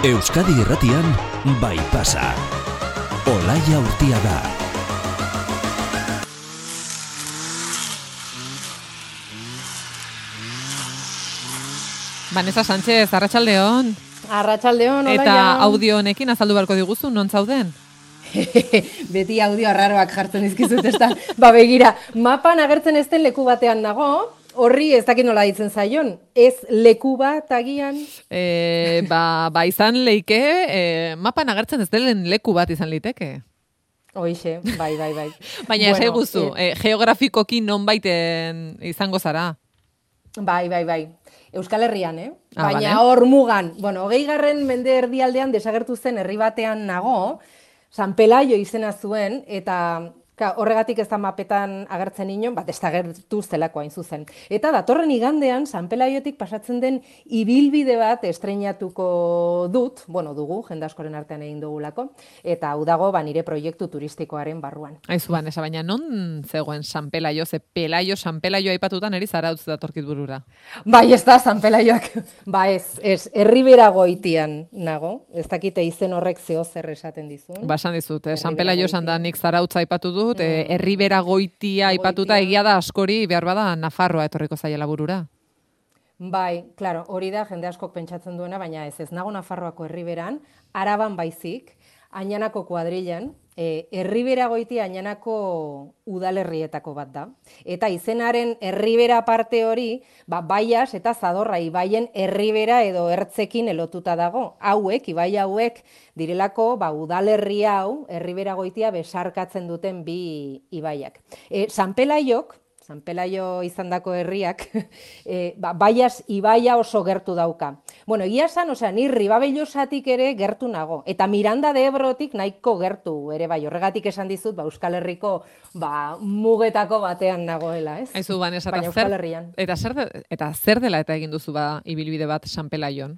Euskadi Irratian Bai Pasa. Olaia Urtiaga. Vanessa Sánchez, arratsaldeon. Arratsaldeon, Olaia. Eta audio honekin azaldu beharko diguzu, non zauden? Beti audio arraroak jartzen dizkizut, ezta. Begira, mapan agertzen ez den leku batean nago. Horri ez dakit nola ditzen zaion, ez leku bat agian? Izan leike, mapan agertzen ez den leku bat izan liteke. Hoixe, bai. Baina esai guzu, geografikoki nonbaiten izango zara? Bai. Euskal Herrian, Vale. Baina hor mugan. 20. mende erdialdean desagertu zen herri batean nago, San Pelaio izena zuen, eta horregatik ez da mapetan agertzen inon, ez da agertu zelako hain zuzen. Eta datorren igandean, San Pelaiotik pasatzen den ibilbide bat estreinatuko dut, dugu, jende askoren artean egin dugulako, eta hau dago nire proiektu turistikoaren barruan. Aizu, Vanessa, baina non zegoen San Pelaio, San Pelaio aipatutan eri Zarautz datorkit burura? Bai, ez da, San Pelaioak. Ez, Erribera Goitian nago, ez dakite izen horrek zeo zer esaten dizun. Esan dizut, San Pelaio esan da nik Zarautz aipatu dut, Erribera Goitia aipatuta egia da askori behar bada Nafarroa etorriko zaiela burura. Bai, claro, hori da jende askok pentsatzen duena, baina ez nago Nafarroako Erriberan, Araban baizik, Añanako kuadrilan, Erribera Goitia Añanako udalerrietako bat da. Eta izenaren Erribera parte hori, Baias eta Zadorra ibaien Erribera edo ertzekin elotuta dago. Ibai hauek direlako udalerri hau Erribera Goitia besarkatzen duten bi ibaiak. San Pelaio izandako herriak, Baias ibaia oso gertu dauka. Egia esan, ni Ribabellosatik ere gertu nago, eta Miranda de Ebrotik nahiko gertu ere bai, horregatik esan dizut, Euskal Herriko mugetako batean nagoela, ez? Aizu, Vanessa, baina Euskal Herrian. Eta zer dela eta egin duzu ibilbide bat San Pelaion?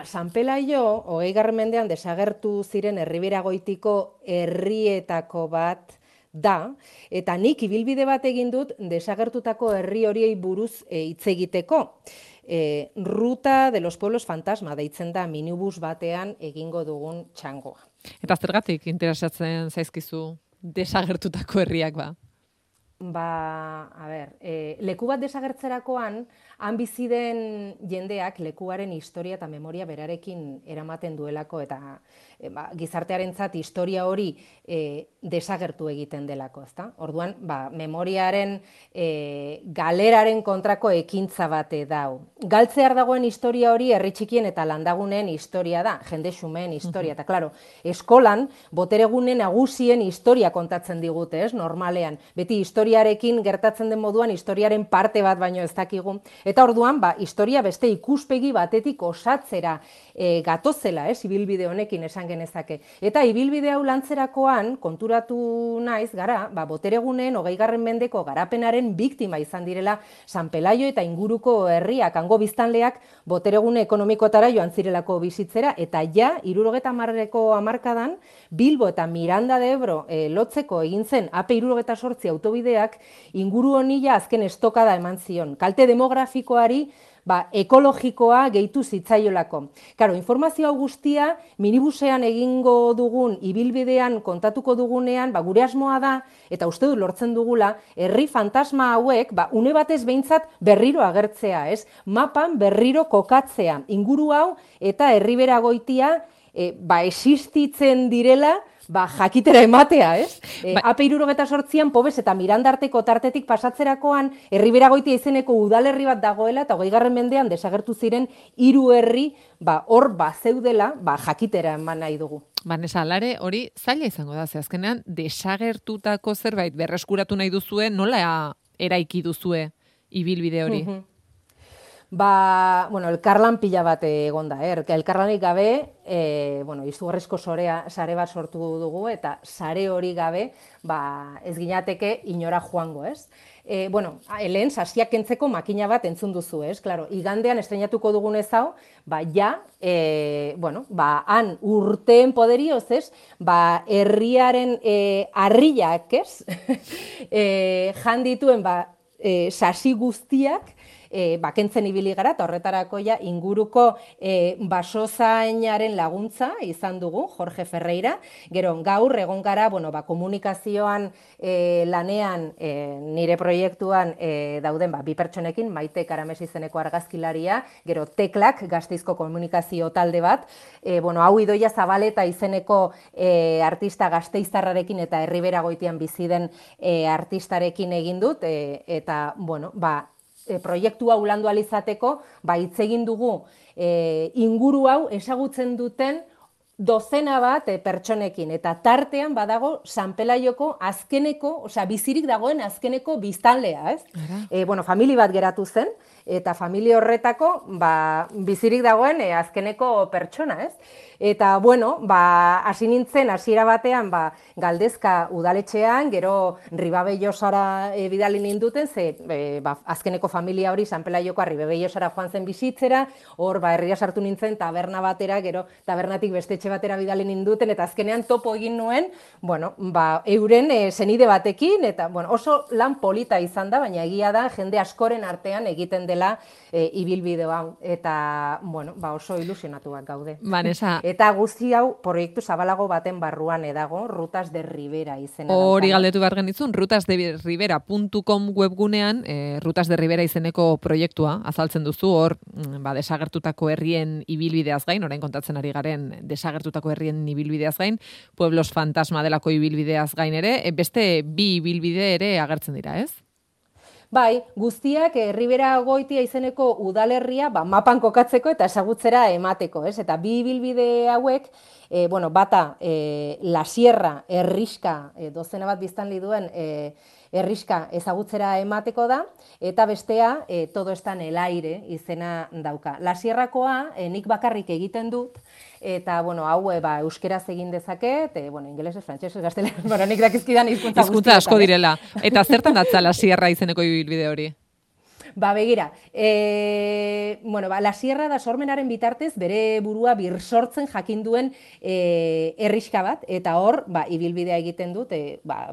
San Pelaio, 20. mendean desagertu ziren Erribera Goitiko herrietako bat da, eta nik ibilbide bat egin dut desagertutako herri horiei buruz hitz egiteko. Ruta de los Pueblos Fantasma deitzen da minibus batean egingo dugun txangoa. Eta zergatik interesatzen zaizkizu desagertutako herriak leku bat desagertzerakoan, han bizi den jendeak lekuaren historia eta memoria berarekin eramaten duelako, eta gizartearentzat historia hori desagertu egiten delako, ezta? Orduan, memoriaren galeraren kontrako ekintza bate dau. Galtzear dagoen historia hori herri txikien eta landagunen historia da, jende xumeen historia, eta klaro, eskolan boteregune nagusien historia kontatzen digute, ez? Normalean, beti historiarekin gertatzen den moduan historiaren parte bat baino ez dakigu. Eta orduan, historia beste ikuspegi batetik osatzera gatozela, ibilbide honekin esan genezake. Eta ibilbide hau lantzerakoan, konturatu naiz gara, botereguneen 20. mendeko garapenaren biktima izan direla San Pelaio eta inguruko herriak, hango biztanleak boteregune ekonomikotara joan zirelako bizitzera, eta 70ko hamarkadan Bilbo eta Miranda de Ebro lotzeko egin zen AP78 autobideak inguru honila azken estokada eman zion. Kalte demografikoari ekologikoa gehitu zitzaiolako. Karo, informazio hau guztia minibusean egingo dugun ibilbidean kontatuko dugunean, gure asmoa da, eta uste dut lortzen dugula, herri fantasma hauek, une batez behintzat berriro agertzea, ez? Mapan berriro kokatzea, inguru hau eta Erribera Goitia existitzen direla, jakitera ematea, ez? AP78an Pobes eta Miranda arteko tartetik pasatzerakoan Erribera Goitia izeneko udalerri bat dagoela, eta 20. mendean desagertu ziren 3 herri hor zeudela, jakitera eman nahi dugu. Vanessa, alare hori zaila izango da, ze azkenean desagertutako zerbait berreskuratu nahi duzue, nola eraiki duzue ibilbide hori? Elkarlan pila bat egon da, elkarlanik gabe, izugarrizko sare bat sortu dugu, eta sare hori gabe, ez ginateke inora joango, ez? Lehen sasiak kentzeko makina bat entzun duzu, ez? Claro, igandean estrenatuko dugunez hau, han urteen poderioz, ez? Herriaren harriak, ez? Jan dituen, sasi guztiak, kentzen ibili gara, eta horretarako inguruko basozainaren laguntza izan dugu, Jorge Ferreira. Gero, gaur egon gara, komunikazioan lanean nire proiektuan dauden bi pertsonekin, Maite Karames izeneko argazkilaria, gero Teklak, Gasteizko komunikazio talde bat, hau Idoia Zabaleta izeneko artista gasteiztarrarekin eta Herribera Goitian bizi den artistarekin egin dut, eta, proiektu hau landu ahal izateko, hitz egin dugu inguru hau ezagutzen duten dozena bat pertsonekin, eta tartean badago San Pelaioko azkeneko, bizirik dagoen azkeneko biztanlea, ez? Famili bat geratu zen, eta familia horretako bizirik dagoen azkeneko pertsona, ez? Eta, hasi nintzen, hasiera batean, Galdezka udaletxean, gero Ribabellosara bidali ninduten, ze azkeneko familia hori San Pelaioko Ribabellosara joan zen bizitzera, hor herria sartu nintzen taberna batera, gero tabernatik beste etxe batera bidali ninduten, eta azkenean topo egin nuen, euren senide batekin, eta oso lan polita izan da, baina egia da, jende askoren artean egiten dela ibilbide hau, eta oso ilusionatu bat gaude. Vanessa. Eta guzti hau proiektu zabalago baten barruan edago, Rutas de Ribera izena. Hori galdetu behar genitzun, rutasderibera.com webgunean, Rutas de Ribera izeneko proiektua azaltzen duzu, hor desagertutako herrien ibilbideaz gain, orain kontatzen ari garen desagertutako herrien ibilbideaz gain, Pueblos Fantasma delako ibilbideaz gain ere, beste bi ibilbide ere agertzen dira, ez? Guztiak Herribera Goitia izeneko udalerria mapan kokatzeko eta ezagutzera emateko, ez? Eta bi ibilbide hauek, bata La Sierra herriska, dozena bat biztanle duen herriska ezagutzera emateko da, eta bestea Todo está en el aire izena dauka. La Sierrakoa nik bakarrik egiten dut, eta, hau euskeraz egin dezaket, ingelesez, frantsesez, gazteleraz, nik dakizkidan hizkuntza guztietan. Hizkuntza asko direla. Eta zertan datza La Sierra izeneko ibilbide hori? Begira, La Sierra da sormenaren bitartez bere burua birsortzen jakin duen herriska bat, eta hor, ibilbidea egiten dut,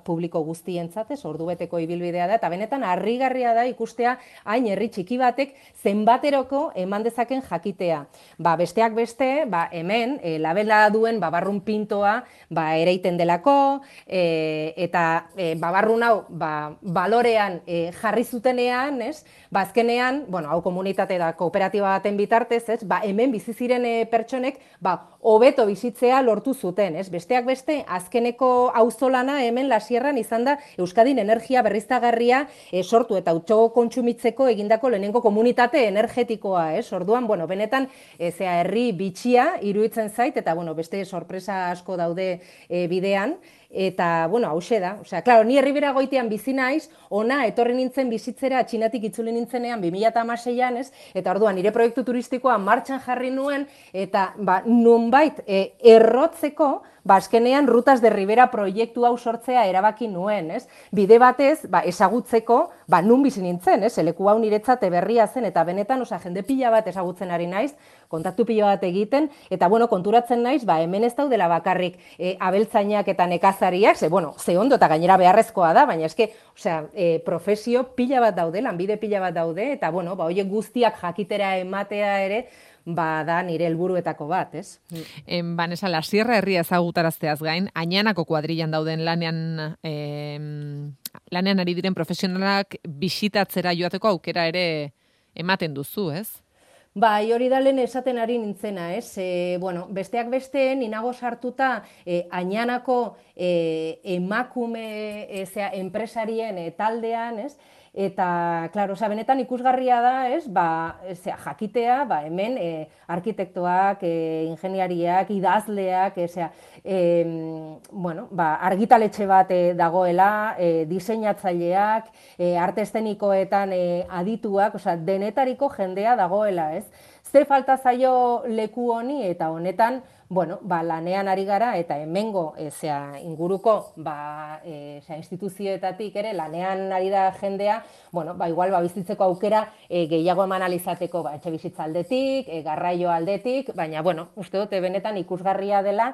publiko guztientzat, ordubeteko ibilbidea da, eta benetan harrigarria da ikustea hain herri txiki batek zenbateroko eman dezaken jakitea. Besteak beste, hemen, labela duen barrun pintoa ereiten delako, eta barrun hau balorean jarri zutenean, ez? Azkenean, hau komunitate da kooperatiba baten bitartez, ez? Hemen bizi ziren pertsonek, hobeto bizitzea lortu zuten, ez? Besteak beste, azkeneko auzolana hemen La Sierran izan da Euskadin energia berriztagarria sortu eta autokontsumitzeko egindako lehenengo komunitate energetikoa, ez? Orduan, benetan, herri bitxia iruditzen zait, eta beste sorpresa asko daude bidean, eta, hauxe da. Klaro, ni Herribera Goitian bizi naiz, ona etorri nintzen bizitzera Txinatik itzuli nintzenean 2016an, ez? Eta orduan, nire proiektu turistikoa martxan jarri nuen, eta nonbait errotzeko, azkenean Rutas de Ribera proiektu hau sortzea erabaki nuen, ez? Bide batez, ezagutzeko, nun bizi nintzen, ez? Leku hau niretzat berria zen, eta benetan, jende pila bat ezagutzen ari naiz, kontaktu pila bat egiten, eta, konturatzen naiz, hemen ez daudela bakarrik abeltzainak eta nekazariak, ze ondo eta gainera beharrezkoa da, baina eske, profesio pila bat daude, lanbide pila bat daude, eta, horiek guztiak jakitera ematea ere, da nire helburuetako bat, ez? Vanessa, La Sierra herria ezagutarazteaz gain, Añanako kuadrillan dauden lanean ari diren profesionalak bisitatzera joateko aukera ere ematen duzu, ez? Hori da lehen esaten ari nintzena, ez? Besteak beste, ninago sartuta Añanako emakume enpresarien taldean, ez? Eta, klaro, benetan ikusgarria da, ez, jakitea, hemen arkitektoak, ingeniariak, idazleak, argitaletxe bat dagoela, diseinatzaileak, arte eszenikoetan adituak, denetariko jendea dagoela, ez. Ze falta zaio leku honi eta honetan, lanean ari gara eta hemengo inguruko instituzioetatik ere lanean ari da jendea, igual bizitzeko aukera gehiago eman alizateko etxe bizitza aldetik, garraio aldetik, baina, uste dute benetan ikusgarria dela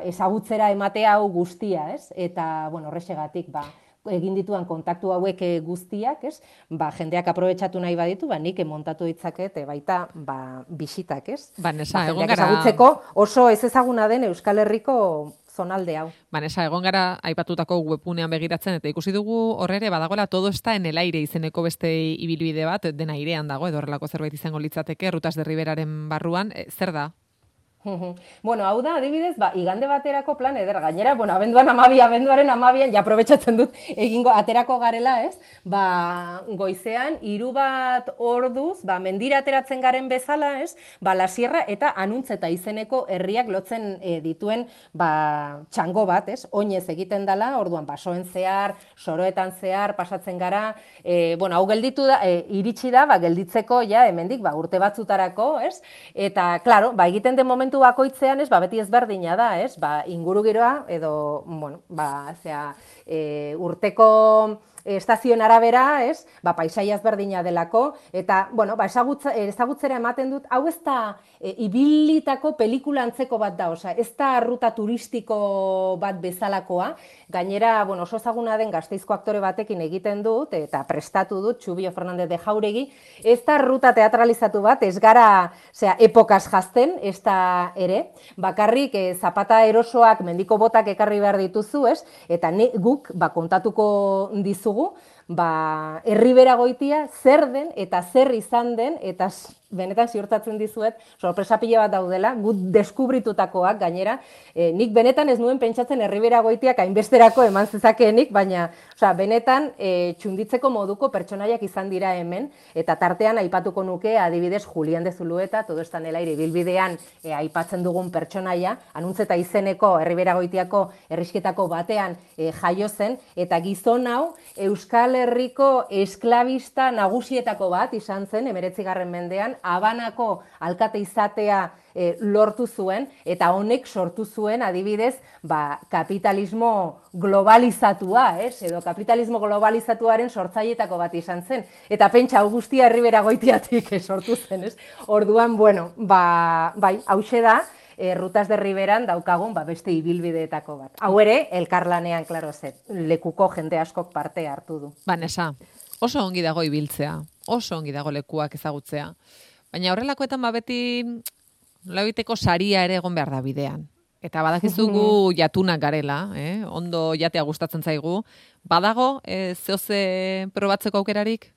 ezagutzera ematea hau guztia, ez? Eta, horrexegatik, egin dituan kontaktu hauek guztiak, ez? Jendeak aprobetxatu nahi baditu, nik montatu ditzaket baita bisitak, ez? Vanessa, egon gara... Ezagutzeko oso ez ezaguna den Euskal Herriko zonalde hau. Vanessa, egon gara aipatutako webgunean begiratzen, eta ikusi dugu horrere badagoela todo está en el aire izeneko beste ibilbide bat, dena airean dago, edo horrelako zerbait izango litzateke, Rutas de Riberaren barruan, zer da? Hau da, adibidez, igande baterako plan eder, gainera, abenduaren 12 ja aprobetxatzen dut egingo aterako garela, ez? Goizean, 3 bat orduz, mendira ateratzen garen bezala, ez? La Sierra eta Anuntzeta izeneko herriak lotzen dituen txango bat, ez? Oinez egiten dela, orduan, basoen zehar, soroetan zehar, pasatzen gara, hau gelditu da, iritsi da, gelditzeko, ja, hemendik, urte batzutarako, ez? Eta, klaro, egiten den momentu bakoitzean, ez, beti ezberdina da, ez, inguru giroa, edo, urteko estazioen arabera, ez, paisaia ezberdina delako, eta, ezagutzera ematen dut, hau ez da ibilitako pelikula antzeko bat da, ez da ruta turistiko bat bezalakoa, gainera, oso ezaguna den Gasteizko aktore batekin egiten dut, eta prestatu dut, Txubio Fernández de Jauregi, ez da ruta teatralizatu bat, ez gara, epokaz jazten, ez da ere, bakarrik zapata erosoak, mendiko botak ekarri behar dituzu, ez, eta guk, kontatuko dizugu, Herribera Goitia zer den eta zer izan den, eta benetan ziurtatzen dizuet, sorpresa pila bat daudela, gut deskubritutakoak gainera, nik benetan ez nuen pentsatzen Herribera Goitiak hainbesterako eman zezakeenik, baina benetan txunditzeko moduko pertsonaiak izan dira hemen, eta tartean aipatuko nuke adibidez Julián de Zulueta, todo está en el aire ibilbidean aipatzen dugun pertsonaia, Anuntzeta izeneko Herribera Goitiako herrisketako batean jaio zen, eta gizon hau Euskal Herriko esklabista nagusietako bat izan zen, 19. mendean, Habanako alkate izatea lortu zuen, eta honek sortu zuen, adibidez, kapitalismo globalizatua, edo kapitalismo globalizatuaren sortzailetako bat izan zen. Eta pentsa, hau guztia Herribera Goitiatik sortu zen, ez? Orduan, hauxe da, Rutas de Riberan daukagun beste ibilbideetako bat. Hau ere, elkarlanean, klaro, lekuko jende askok parte hartu du. Vanessa, oso ongi dago ibiltzea, oso ongi dago lekuak ezagutzea. Baina horrelakoetan beti labiteko saria ere egon behar da bidean. Eta badakizugu jatunak garela, ondo jatea gustatzen zaigu. Badago, zehoze probatzeko aukerarik?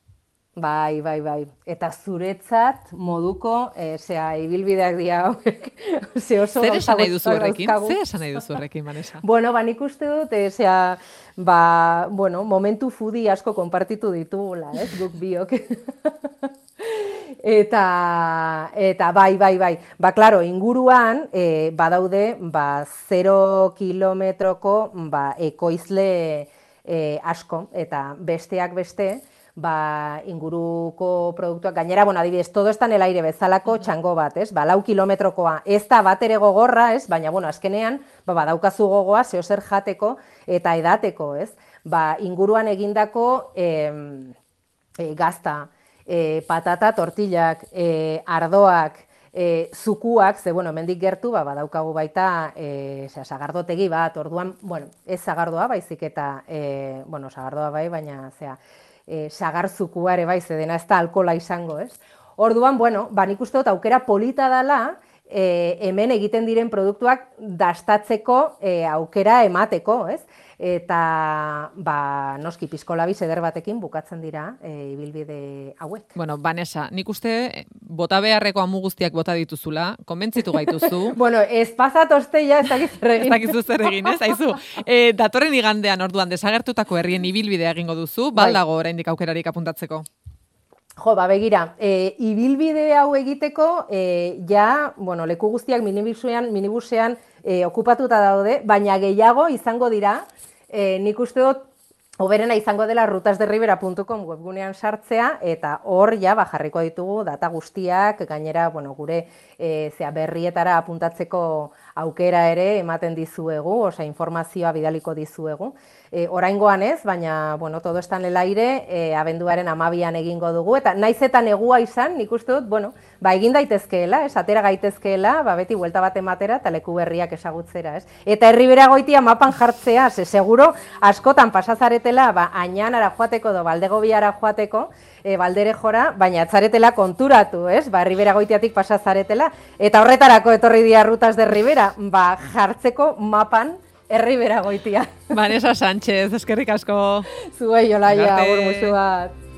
Bai. Eta zuretzat moduko, ibilbideak dira hauek. Zer esan nahi duzu horrekin, Vanessa? Nik uste dut, momentu fudi asko konpartitu ditugula, guk biok. Eta bai. Klaro, inguruan, badaude, 0 kilometroko ekoizle asko, eta besteak beste, inguruko produktuak, gainera, adibidez, todo está en el aire bezalako txango bat, 4 kilometrokoa, ez da bat ere gogorra, baina, azkenean, badaukazu gogoa, zehozer jateko eta edateko, inguruan egindako gazta, patata, tortillak, ardoak, zukuak, mendik gertu, badaukagu baita sagardotegi bat, orduan, ez sagardoa, baizik eta, sagardoa bai, baina, sagar zukuare bai, zedena ez da alkola izango, ez? Orduan, nik uste dut aukera polita dela, hemen egiten diren produktuak dastatzeko aukera emateko, ez? Eta noski pizkolabi eder batekin bukatzen dira ibilbide hauek. Bueno, Vanessa, nik uste bota beharreko amu guztiak bota dituzula, konbentzitu gaituzu. Bueno, ez pasatoste ja, ez dakiz zer egin. Ez dakizu zer egin, ez? Aizu, datorren igandean orduan desagertutako herrien ibilbidea egingo duzu, baldago oraindik aukerarik apuntatzeko. Jo, begira, ibilbide hau egiteko, leku guztiak minibusean okupatuta daude, baina gehiago izango dira, nik uste dut, hoberena izango dela rutasderribera.com webgunean sartzea, eta hor jarriko ditugu data guztiak, gainera, gure berrietara apuntatzeko aukera ere ematen dizuegu, informazioa bidaliko dizuegu. Oraingoan ez, baina, todo estan el aire, abenduaren 12an egingo dugu, eta naiz eta negua izan, nik uste dut, egin daitezkeela, atera gaitezkeela, beti buelta bat ematera, eta leku berriak ezagutzera, ez? Eta Herriberagoitia mapan jartzea, seguro askotan pasazaretela, Añanara joateko edo Valdegobiara joateko, Baldere jora, baina atzaretela konturatu, ez? Herriberagoitiatik pasazaretela, eta horretarako etorri dira Rutas de Ribera, jartzeko mapan Herriberagoitia. Vanessa Sánchez, eskerrik asko. Zuei, Olaia, agur musu bat.